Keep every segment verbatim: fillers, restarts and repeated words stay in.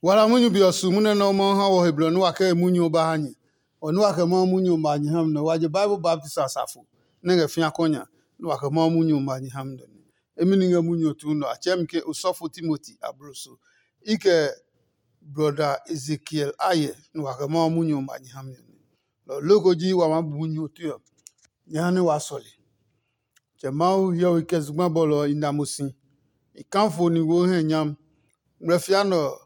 Wala munyu be ɔ su munyu nɛ Mawu ha wɔ he blɔ nɛ wa kɛ munyu ɔ ba ha nyɛ. Ɔ nɛ wa kɛ Mawu munyu ɔ ma nyɛ ha mi nɛ wa je Bible baptist asafo nɛ ngɛ fĩa kɔnya nɛ wa kɛ Mawu munyu ɔ ma nyɛ ha mi nɛ. Emi ni ngɛ munyu ɔ tuu nɔ a tsɛɛ mi ke osɔfo Timoti abloso. I kɛ brɔda Ezekiel ayɛ nɛ wa kɛ Mawu munyu ɔ ma nyɛ ha mi nɛ. Lɔ loko ji wa maa bu munyu ɔ tue ɔ, nyɛ ha nɛ wa sɔle. Tsɛ Mawu hiɔwe kɛ zugba bɔlɔ ɔ i na mo si. I kafo ni wo hɛ nyam. Ngmlɛfia nɛ ɔ,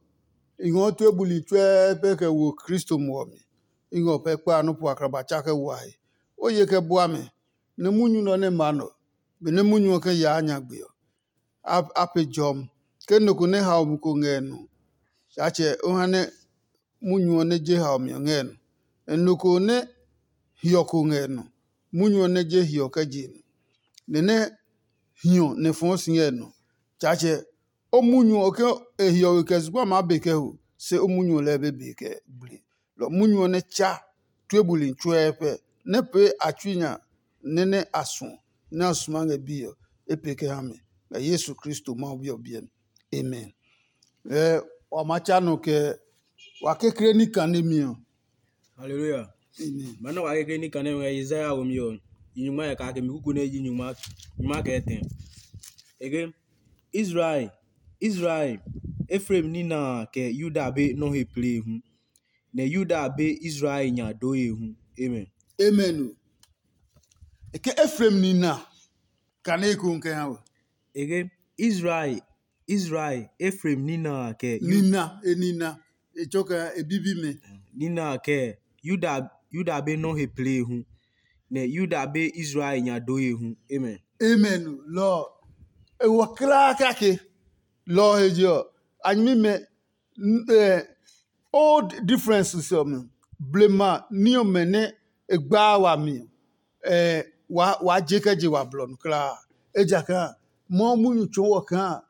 i ngɔɔ tue buli tsuɛɛ pɛ kɛ wo Kristo muɔ mi. I ngɔ pɛ kpa nɔ́ po akraba tsa kɛ wa he. O ye kɛ bua mɛ, nɛ munyu nɛ ɔ nɛ ma nɔ, benɛ munyu ɔ kɛ yaa nyagbe ɔ, a pe jɔmi. Ke nɔ ko nɛ hao mi ko ngɛ e nɔ, Tsaatsɛ o ha nɛ munyu ɔ nɛ je hao mi ɔ ngɛ e nɔ. Nɛ nɔ ko nɛ hiɔ ko ngɛ e nɔ, munyu ɔ nɛ je hiɔ kɛ je e nɔ. Nɛ nɛ hiɔ nɛ fɔɔ si ngɛ e nɔ. Tsaatsɛ o munyu ɔ ke e hiɔwe kɛ zugba maa be kɛ ho, se o munyu ɔ lɛɛ be be kɛ bli. Lɔ munyu ɔ nɛ tsa tue buli tsuɛɛ pɛ, nɛ pee a tsui nya nɛ nɛ a suɔ, nɛ a suma ngɛ biɛ ɔ, e pee kɛ ha mɛ. Ngɛ Yesu Kristo Mawu Bi ɔ biɛ mi. Amen. Ɛ wa ma tsa nɔ kɛ wa kekle ní kane mi ɔ. Hallelujah. Amen. Mana wa kekle ní kane ngɛ Isaiah wo mi ɔ. Yi nyuma ya ka ke mi kuku ne yi nyuma nyuma kɛ tɛ. Ege Israel, Israel, Efraim nina a kɛ Yuda be nɔ he plee hu, nɛ Yuda be Israel nya dooye hu. Amen. Amen o. E ke Efraim nina kane ko kɛ ha we. Ege Israel, Israel, Efraim nina a kɛ Yu- nina e nina e tsɔ kɛ e bibi mɛ. Nina a kɛ Yuda Yuda be nɔ he plee hu, nɛ Yuda be Israel nya dooye hu. Amen. Amen. Lɔ e wɔ klaa kake. Lɔ he je ɔ, a nyɛmi mɛ old differences ɔ mi blema ní ɔmɛ nɛ e gbaa wami ɔ, waa je kɛ je wa blɔ nu kulaa. Ejakaa Mawu munyu tsɔɔ wɔ kaa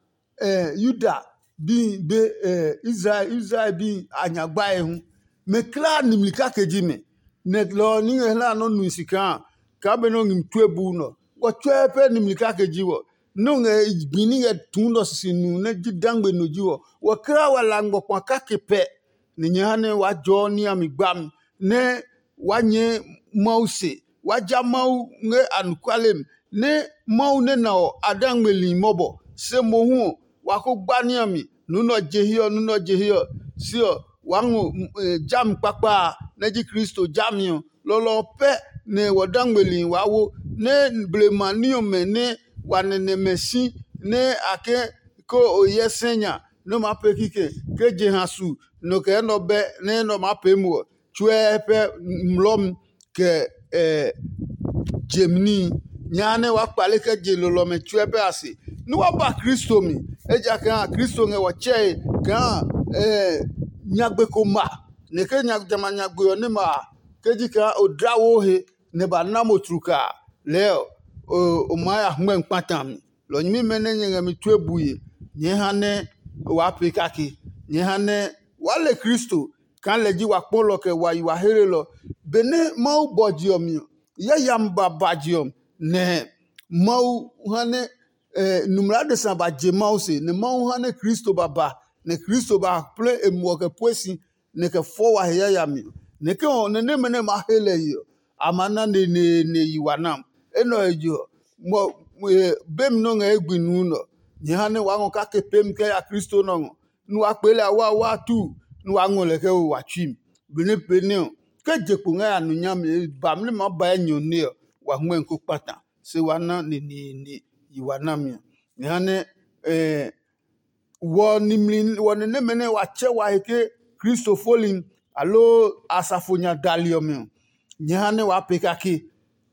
Yuda bi be Israel Israel bi a nya gbae hu. Mɛ kulaa nimli kake ji mɛ. Nɛ lɔ ɔ ní ngɛ hla nɔ́ nui si kaa kaa benɛ o ngmi tue buu nɔ. Wɔ tsuɛ pɛ nimli kake ji wɔ. Nɛ o ngɛ gbi ní ngɛ tuu nɔ sisi nu nɛ ji dangbe no ji wɔ. Wɔ kulaa wa la ngmɔ kpa kake pɛ. Nɛ nyɛ ha nɛ waa jɔɔ ní a mi gbami nɛ waa nyɛɛ Mawu se. Waa ja Mawu ngɛ anɔkuale mi nɛ Mawu nɛ na ɔ a dangmeli mɔbɔ. Se mohu ɔ, wa ko gba ní a mi. Nunɔ je hiɛ ɔ, nunɔ je hiɛ ɔ, se ɔ, waa ngɔ jami kpakpa a nɛ ji Kristo jami ɔ. Lɔlɔ ɔ pɛ nɛ wɔ dangmeli waa wo, nɛ blema ní ɔmɛ nɛ wa nɛnɛmɛ si nɛ a ke ko o hyɛ sɛ nya nɛ o maa pee kikɛ ke jeha su nɔ kɛ enɛ ɔ bɛ nɛ enɛ ɔ maa pee mo ɔ, tsuɛ pɛ mlɔmi kɛ jemi níhi. Nyaa nɛ waa kpale kɛ je lolɔ ɔmɛ tsuɛ pɛ a se, nɛ wa ba Kristo mi, ejakaa Kristo ngɛ wɔ tsɛe kaa nyagbe ko ma, nɛ ke jamɛ a nyagbe ɔ nɛ ma a, ke ji kaa o dla wo he nɛ ba na mo tlukaa, lɛɛ ɔ, o maa ya hmɛ kpata mi. Lɔ nyɛmimɛ nɛ nyɛ ngɛ mi tue bue, nyɛɛ ha nɛ waa pee kake. Nyɛɛ ha nɛ waa le Kristo kaa lɛ ji wa kpɔlɔ kɛ wa yi wa helelɔ. Benɛ Mawu bɔ je ɔ mi ɔ, yayami ba ba je ɔ, nɛ Mawu ha nɛ numla adesa ba je Mawu se, nɛ Mawu ha nɛ Kristo ba ba, nɛ Kristo ba plɛ e muɔ kɛ pue si, nɛ kɛ fɔ wa he yayami ɔ. Nɛ ke ɔ nɛ nɛmɛ nɛ ma he lɛ yi ɔ, a ma na neneene yi wa nam. Enɛ ɔ he je ɔ, bemi nɔ ngɛ ye gbi nuu nɛ ɔ, nyɛ ha nɛ waa ngɔ kake peemi kɛ ya Kristo nɔ ngɔ, nɛ waa kpee lɛ awaawa tu, nɛ waa ngɔ lɛ kɛ wo wa tsui mi. Benɛ pee nɛ ɔ, ke je kpo ngɛ ya nu nyami, e ba mli ma ba enyɔ nɛ ɔ, wa ngmɛmi ko kpata, se wa na neneene yi wa nami ɔ. Nyɛ ha nɛ wɔ nimli wɔ ni nɛmɛ nɛ wa tsɛ wa he ke Kristo foli aloo asafo nya dali ɔmɛ ɔ, nyɛ ha nɛ waa pee kake,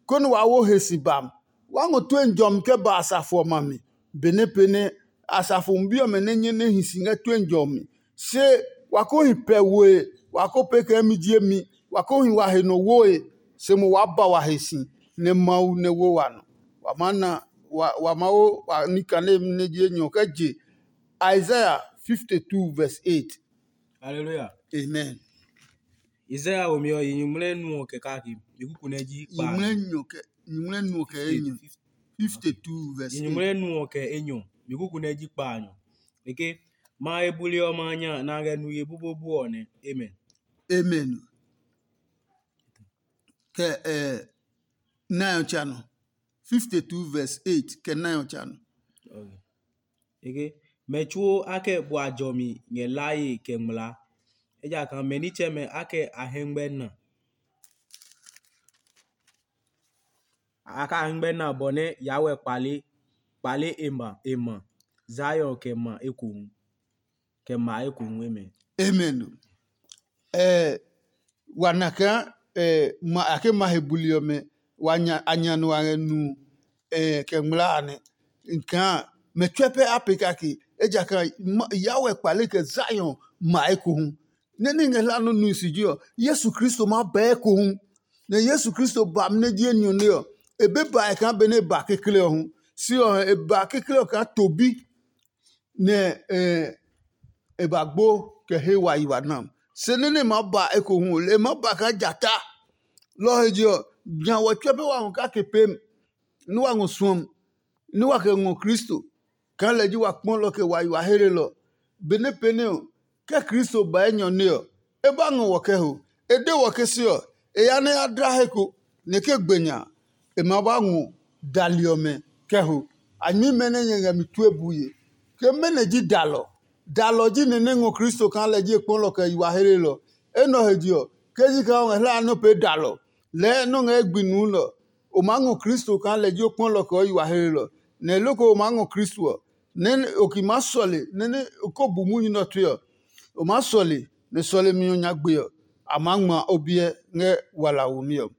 konɛ waa wo he si bam. Waa ngɔ tue jɔmi kɛ ba asafo ɔmɛ a mi, benɛ pee nɛ asafo bi ɔmɛ nɛ nyɛ nɛ hi si ngɛ tue jɔmi. Se wa ko hi pɛ woe, wa ko pee kɛ mi ji emi, wa ko hi wa he nɔ woe, se mo waa ba wa he si, nɛ Mawu nɛ wo wa nɔ. Wa maa na wa wa maa wo wa ní kane nɛ ji enyɔ kɛ je Isaiah fifty two verse eight. Hallelujah. Amen. Isaiah wo mi ɔ yi nyuŋmlɛ nu ɔ kɛ kake. Mi kuku nɛ ji kpa. Nyuŋmlɛ nu ɔ kɛ nyuŋmlɛ nu ɔ kɛ enyɔ. Fifty two verse eight. Yi nyuŋmlɛ nu ɔ kɛ enyɔ. Mi kuku nɛ ji kpa nyɔ. Eke ma he buli ɔmɛ a nya nɛ a ngɛ nu ye bubobu ɔ nɛ. Amen. Amen. Kɛ eh, nine ɔ tsa nɔ. Fifty-two verse eight kɛ nine ɔ tsa nɔ. Okay. Eke, mɛ tsuo a kɛ bua jɔmi ngɛ laye kɛ ngmlaa. Ejakaa mɛ nitsɛmɛ a kɛ a hɛ ngmɛ na. A kɛ a hɛ ngmɛ na bɔ nɛ Yahweh kpale kpale e ma e ma Zion kɛ ma ekohu. Kɛ ma ekohu emɛ. Amen. Eh, wa na kaa eh, ma a ke ma he buli ɔmɛ wa nya a nya nɔ a ngɛ nu eh, kɛ ngmlaa a nɛ. Kaa mɛ tsuɛ pɛ a pe kake ejakaa Yahweh kpale kɛ Zion ma ekohu. Nɛ ní ngɛ hla nɔ nui si ji ɔ, Yesu Kristo maa bɛɛ ekohu. Nɛ Yesu Kristo ba amɛ nɛ ji enyɔne ɔ, e be ba e kaa benɛ e ba kekle ɔ hu. Si ɔ, e ba kekle ɔ kaa to bi. Nɛ e ba gbo kɛ he wa yi wa nam. Se nɛ nɛ e maa ba ekohu ɔ, e maa ba kaa jata. Lɔ ɔ he je ɔ, nya wɔ tsuɛ pɛ wa ngɔ kake pem, nɛ wa ngɔ suɔmi, nɛ wa kɛ ngɔ Kristo kaa lɛ ji wa kpɔlɔ kɛ wa yi wa heelelɔ. Benɛ pɛnɛ ɔ, ke Kristo ba enyɔne ɔ, e ba ngɔ wɔ kɛ ho. E de wɔ ke se ɔ, e ya nɛ ya dla he ko, nɛ ke gbe nya a, e ma ba ngɔ dali ɔmɛ kɛ ho. A nyɛmimɛ nɛ nyɛ ngɛ mi tue bue. Ke mɛnɔ ji dalɔ? Dalɔ ji ni nɛ ngɔ Kristo kaa lɛ ji e kpɔlɔ kɛ yi wa heelelɔ. Enɛ ɔ he je ɔ, ke ji kaa o ngɛ hlaa nɛ o pee dalɔ, lɛɛ nɛ o ngɛ ye gbi nuu nɛ ɔ, o maa ngɔ Kristo kaa lɛ ji o kpɔlɔ kɛ o yi wa heelelɔ. Nɛ loko o maa ngɔ Kristo ɔ, nɛ o ki maa sɔle nɛ nɛ o ko bu munyu nɛ ɔ tue ɔ, o maa sɔle nɛ sɔlemi ɔ nyagbe ɔ, a maa ngma o biɛ ngɛ wala womi ɔ.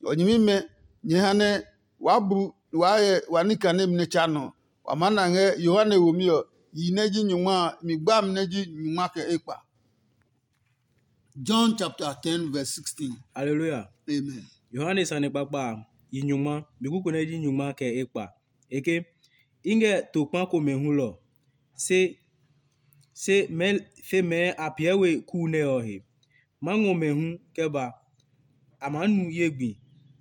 Ɔ nyɛmimɛ, nyɛ ha nɛ waa bu waa hyɛ wa ní kanemi nɛ tsa nɔ ɔ, wa maa na ngɛ Yohane womi ɔ, yi nɛ ji nyungma a, mi gbami nɛ ji nyungma kɛ ekpa. John chapter ten verse sixteen. Hallelujah. Amen. Yohane sane kpakpa a, yi nyungma, mi kuku nɛ ji nyungma kɛ ekpa. E ke, i ngɛ to kpa komɛ hulɔ, se se mɛɛ fe mɛɛ a piɛ we kuu nɛ ɔ he. Ma ngɔ mɛ hu kɛ ba, a maa nu ye gbi,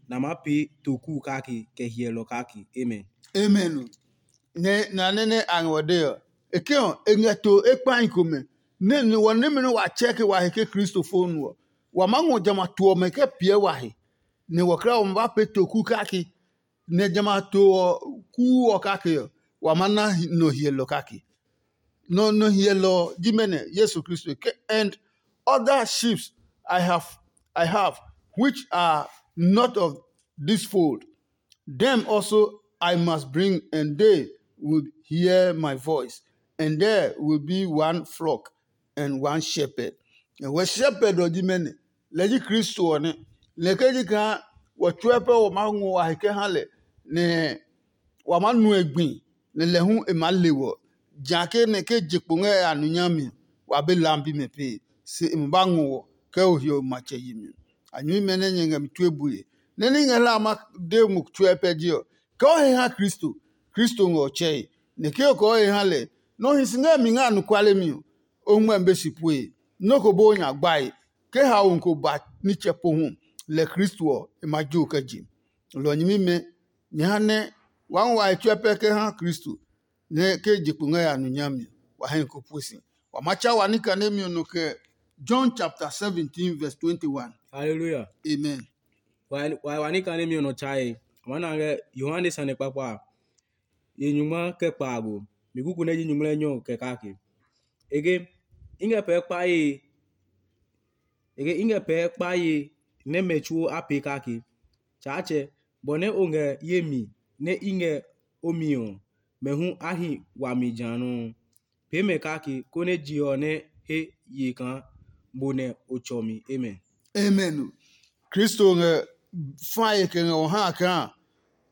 nɛ a maa pee to kuu kake kɛ hyɛlɔ kake. Amen. Amen. Nɛ na nɛ nɛ a ngɔ de ɔ, e ke ɔ, e ngɛ to e kpahi komɛ, nɛ ni wɔ nɛmɛ nɛ wa tsɛ ke wa he ke Kristo fo nu ɔ, wa maa ngɔ jamɛ a to ɔmɛ kɛ piɛ wa he, nɛ wɔkla ɔ ma ba pee to kuu kake, nɛ jamɛ a to ɔ kuu ɔ kake ɔ, wa maa na nɔ hyɛlɔ kake. Nɔ nɔ hyɛlɔ ɔ ji mɛnɔ? Yesu Kristo ke, and other sheep I have I have which are not of this fold. Them also I must bring, and they will hear my voice, and there will be one flock and one shepherd. Wɛ shepherd ɔ ji mɛnɔ? Lɛ ji Kristo ɔ nɛ. Lɛ ke ji kaa wɔ tsuɛ pɛ wɔ maa ngɔ wa he kɛ ha lɛ, nɛ wa maa nu e gbi, nɛ lɛ hu e maa le wɔ. Jã ke nɛ ke je kpo ngɛ a nu nyami ɔ, wa be lam bimɛ pee, se e ma ba ngɔ wɔ kɛ o hiɔ matsɛ yi mi. A nyuimɛ nɛ nyɛ ngɛ mi tue bue, nɛ ní ngɛ hla a ma de mo tsuɛ pɛ je ɔ, kɛ o he ha Kristo, Kristo ngɛ ɔ tsɛe. Nɛ ke o kɛ o he ha lɛ, nɛ o hi si ngɛ mi ngɛ anɔkuale mi ɔ, o ngmɛmi be si pue. Nɔ́ ko bó o nya gbae. Ke haomi ko ba nitsɛ pohu, lɛ Kristo ɔ, e ma jo kɛ je. Lɔ nyɛmimɛ, nyɛ ha nɛ waa ngɔ wa he tsuɛ pɛ kɛ ha Kristo, nɛ ke je kpo ngɛ ya nu nyami ɔ, wa hɛ ko pue si. Wa ma tsa wa ní kanemi ɔ nɔ kɛ John chapter seventeen verse twenty-one. Hallelujah. Amen. Wa wa wa ní kanemi ɔ nɔ tsae. A ma na ngɛ Yohane sane kpakpa a, ye nyungma kɛ kpaago. Mi kuku nɛ ji nyungmlɛ nyɔ kɛ kake. Ege, i ngɛ pɛɛ kpaye ege i ngɛ pɛɛ kpaye nɛ mɛ tsuo a pee kake. Tsaatsɛ, bɔ nɛ o ngɛ ye mi nɛ i ngɛ o mi ɔ, mɛ hu a hi wami ja nɔuu. Pee mɛ kake, konɛ je ɔ nɛ he ye kaa bo nɛ o tsɔ mi. Amen. Amen. Kristo ngɛ fae kɛ ngɛ wɔ ha kaa,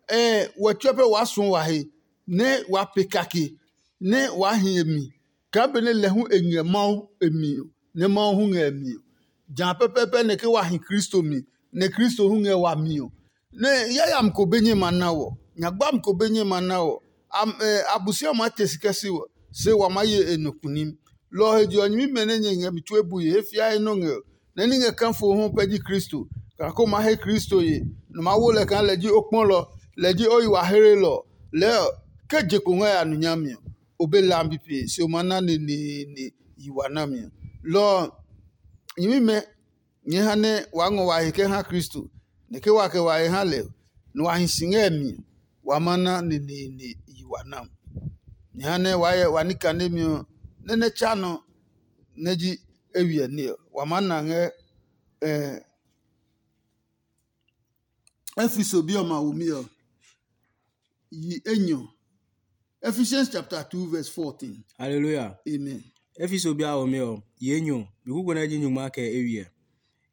ɛ wɔ tsuɛ pɛ waa suɔ wa he, nɛ waa pe kake, nɛ waa hi e mi, kaa benɛ lɛ hu e ngɛ Mawu e mi ɔ, nɛ Mawu hu ngɛ e mi ɔ. Jã pɛpɛɛpɛ nɛ ke wa hi Kristo mi, nɛ Kristo hu ngɛ wami ɔ, nɛ yayami ko be nyɛ ma na wɔ, nyagbami ko be nyɛ ma na wɔ, Abosiami maa te si kɛ si wɔ, se wa maa ye e nɔ kunim. Lɔ ɔ he je ɔ, nyɛmimɛ nɛ nyɛ ngɛ mi tue bue he fiae nɔ́ ngɛ ɔ, nɛ ní ngɛ kafo hu pɛ ji Kristo, kaa ko maa he Kristo ye, nɛ o maa wo lɛ kaa lɛ ji o kpɔlɔ, lɛ ji o yi wa heelɔ. Lɛɛ ɔ, ke je kpo ngɛ ya nu nyami ɔ, o be lambi pe se o maa na neneene yi wa nami ɔ. Lɔ ɔ, nyɛmimɛ nyɛɛ ha nɛ waa ngɔ wa he kɛ ha Kristo, nɛ ke wa kɛ wa he ha lɛ ɔ, nɛ wa hi si ngɛ mi ɔ, wa ma na neneene yi wa nam. Nyɛ ha nɛ waa hyɛ wa ní kanemi ɔ nɛ nɛ tsa nɔ nɛ ji eywiɛ ní ɔ, wa maa na ngɛ Efeso bi ɔmɛ a womi ɔ, yi enyɔ. Ephesians chapter two verse fourteen. Hallelujah. Amen. Efeso bi a ome ɔ, yi enyɔ, mi kuko nɛ ji nyungma kɛ eywiɛ.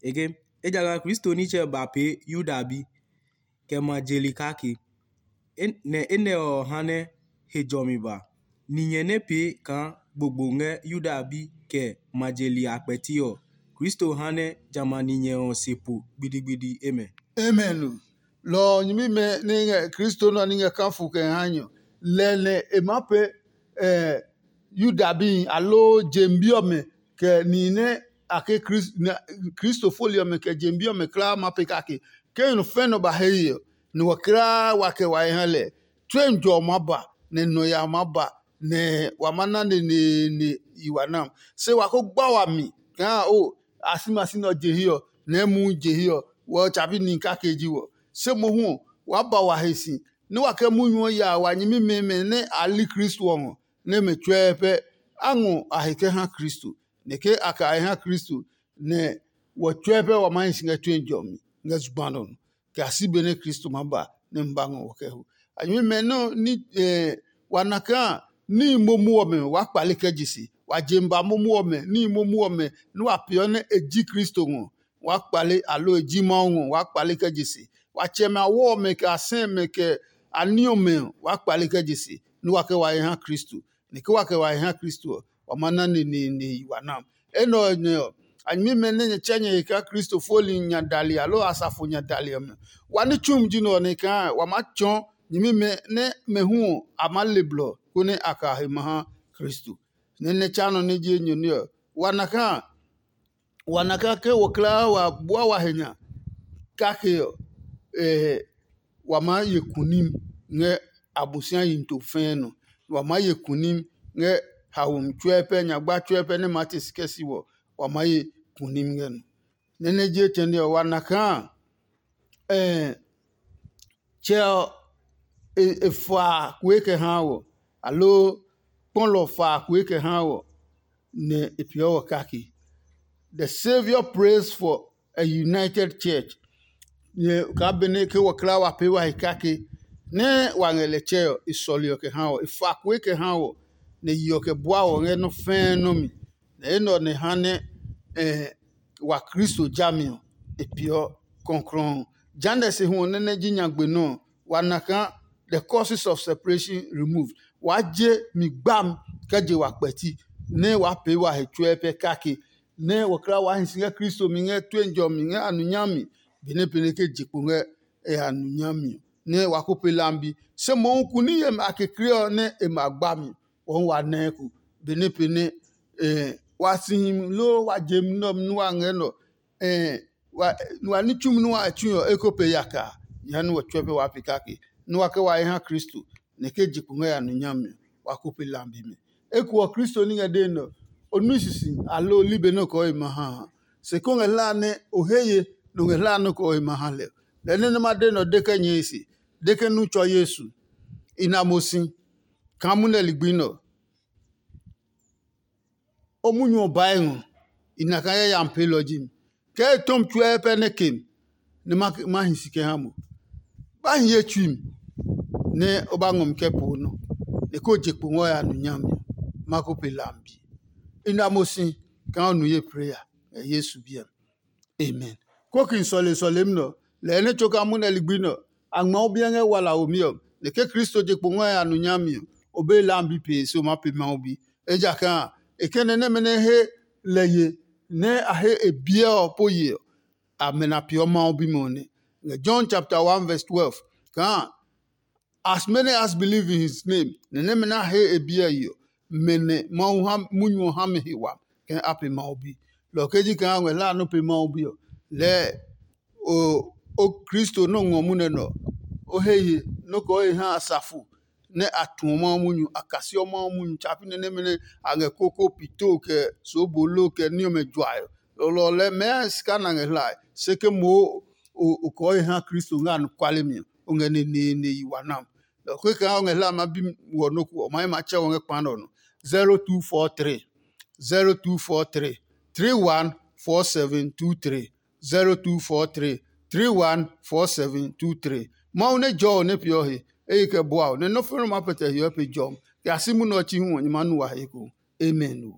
Eke, ejakaa Kristo nitsɛ ba pee Yuda bi, kɛ ma je li kake. Nɛ enɛ ɔ ha nɛ he jɔmi ba. Ninyɛ nɛ pee kaa gbogbo ngɛ Yuda bi kɛ ma je li a kpɛti ɔ, Kristo ha nɛ jamɛ a ninyɛ ɔ se po gbidigbidi. Amen. Amen o. Lɔ ɔ nyɛmimɛ nɛ ngɛ Kristo nɔ ní ngɛ kafo kɛ ha nyɔ. Lɛ nɛ e maa pee Yuda bi aloo jem bi ɔmɛ kɛ nihi nɛ a ke Kristo foli ɔmɛ kɛ jem bi ɔmɛ kulaa ma pee kake. Ke nɔ fɛ nɔ ba he ye ɔ, nɛ wa kulaa wa kɛ wa he ha lɛ. Tue njɔ ɔ maa ba, nɛ nɔ ya maa ba, nɛ wa ma na neneene yi wa nam. Se wa ko gba wami kaa o, a si ma si nɛ ɔ je hiɛ ɔ, nɛ muu je hiɛ ɔ, wɔ tsabi nihi kake ji wɔ. Se mohu ɔ, waa ba wa he si, nɛ wa kɛ munyu ɔ ya wa nyɛmimɛ nɛ a li Kristo ɔ ngɔ, nɛ mɛ tsuɛ pɛ a ngɔ a he kɛ ha Kristo. Nɛ ke a kɛ a he ha Kristo, nɛ wɔ tsuɛ pɛ wa maa hi si ngɛ tue jɔmi ngɛ zugba nɔ nɔ, kɛ a si benɛ Kristo maa ba nɛ ma ba ngɔ wɔ kɛ ho. A nyɛmimɛ nɔ ní wa na kaa níhi momo ɔmɛ waa kpale kɛ je se. Wa je ba momo ɔmɛ, níhi momo ɔmɛ nɛ wa peeɔ nɛ e ji Kristo ngɔ, waa kpale, aloo e ji Mawu ngɔ, waa kpale kɛ je se. Wa tsɛmɛ a wɔ ɔmɛ, kɛ a sɛ mɛ, kɛ a ní ɔmɛ ɔ, waa kpale kɛ je se, nɛ wa kɛ wa he ha Kristo. Nɛ ke wa kɛ wa he ha Kristo ɔ, wa ma na neneene yi wa nam. Enɛ ɔ nɛ ɔ, a nyɛmimɛ nɛ nyɛ tsɛ nyɛ he kaa Kristo foli nya dali aloo asafo nya dali ɔmɛ. Wa ní tsumi ji nɛ ɔ nɛ kaa wa maa tsɔɔ nyɛmimɛ nɛ mɛ hu ɔ a maa le blɔ konɛ a ka he ma ha Kristo. Nɛ nɛ tsa nɔ nɛ ji enyɔ ní ɔ, wa na kaa wa na kaa ke wɔ kulaa wa bua wa he nya kake ɔ, wa maa ye kunim ngɛ Abosiami yi to fɛɛ nɔ. Wa maa ye kunim ngɛ haomi tsuɛ pɛ, nyagba tsuɛ pɛ nɛ maa te si kɛ si wɔ, wa maa ye kunim ngɛ nɔ. Nɛ nɛ je tɛne ɔ, wa na kaa tsɛ ɔ e fa kue kɛ haa wɔ, aloo kpɔlɔ fa kue kɛ haa wɔ, nɛ e peeɔ wɔ kake. The Saviour prays for a united church. Nyɛ kaa benɛ ke wɔ kla wa pee wa he kake nɛ wa ngɛ lɛ tsɛ ɔ, e sɔle ɔ kɛ ha wɔ, e fa kue kɛ ha wɔ, nɛ yi ɔ kɛ bua wɔ ngɛ nɔ́ fɛ́ɛ nɔ́ mi. Nɛ enɛ ɔ nɛ ha nɛ wa Kristo jami ɔ, e peeɔ kɔklɔɔ. Jehanɛ se hu ɔ nɛ nɛ ji nyagbe nɔ ɔ, wa na kaa the causes of separation removed. Waa je mi gbam kɛ je wa kpɛti, nɛ waa pee wa he tsuɛ pɛ kake, nɛ wɔ kla waa hi si ngɛ Kristo mi ngɛ tue jɔ mi ngɛ a nu nyami, benɛ pɛnɛ ke je kpo ngɛ e a nu nyami ɔ, nɛ wa ko pe lambi. Se mohu kuni yemi a kekle ɔ nɛ e ma gba mi, wɔhu wa nɛɛ ko, benɛ pɛnɛ wa si himi loo wa je mi nɛ ɔ nu wa ngɛ nɔ. Wa ní tsumi nɛ wa tsui ɔ, e ko pe yaka a, jehanɛ wɔ tsɔɛ pɛ waa pe kake, nɛ wa kɛ wa he ha Kristo, nɛ ke je kpo ngɛ ya nu nyami ɔ, wa ko pe lambi mi. Eko ɔ, Kristo ní ngɛ dee nɛ ɔ, o nui sisi aloo o li be nɛ o kɔɔ e ma ha a? Se ko ngɛ hlaa nɛ o he ye nɛ o ngɛ hlaa nɛ o kɔɔ e ma ha lɛ ɔ. Lɛ nɛ nɛ ma de nɛ ɔ de kɛ nyɛe se, de ke nu tsɔ Yesu. I na mo si kaa munɛ ligbi nɛ ɔ. O munyu ɔ bae ngɔ, i na kaa yayami peelɔ ji mi. Kɛɛ e tɔmi tsuɛ pɛ nɛ ke mi, nɛ ma hi si kɛ ha mo. Ba hi ye tsui mi, nɛ o ba ngɔ mi kɛ po nɔ, nɛ ko je kpo ngɔ ya nu nyami ɔ, ma ko pe lambi. I na mo si kaa o nu ye preya ngɛ Yesu biɛ mi. Amen. Kóki sɔle sɔlemi nɛ ɔ, lɛɛ nɛ tso kaa munɛ ligbi nɛ ɔ, a ngma o biɛ ngɛ wala womi ɔ, nɛ ke Kristo je kpo ngɔ ya nu nyami ɔ, o be lambi pee se o maa pe Mawu bi. Ejakaa e kɛ nɛ nɛmɛ nɛ he lɛ ye nɛ a he e biɛ ɔ po ye ɔ, amɛ na peeɔ Mawu bimɛ ɔ nɛ. Ngɛ John chapter one verse twelve kaa, as many as believe in his name, nɛ nɛmɛ nɛ a he e biɛ yi ɔ, mɛ nɛ Mawu ha munyu ɔ ha mɛ he wami kɛ a pe Mawu bi. Lɔ ɔ ke ji kaa ngmɛ hlaa nɔ́ pe Mawu bi ɔ, lɛɛ o o Kristo nɔ́ ngɔ munɛ nɛ ɔ, o he ye nɔ́ kɛ o he ha asafo nɛ a tuɔ Mawu munyu, a kasiɔ Mawu munyu tsapi nɛ nɛmɛ nɛ a ngɛ koko pito kɛ soobolo kɛ ní ɔmɛ juae. Lɔlɔ lɛɛ mɛɛ sika na ngɛ hlae, se ke moo o kɔɔ he ha Kristo ngɛ anɔkuale mi ɔ, o ngɛ neneene yi wa nam. Lɔ kekɛ ha o ngɛ hlae ma bi wɔ nɔ́ ko ɔ, ma yi ma tsɛ wɔ ngɛ kpa nɛ ɔ nɔ. zero two four three zero two four three three one four seven two three zero two four three three one four seven two three. Mawu nɛ jɔ ɔ nɛ peeɔ he, eye kɛ bua ɔ nɛ nɔ́ nɔ́ ma pɛtɛ hiɔ pe jɔmi kɛ a si munɛ ɔ chi hu ɔ nyɛ ma nu wa he ko. Amen.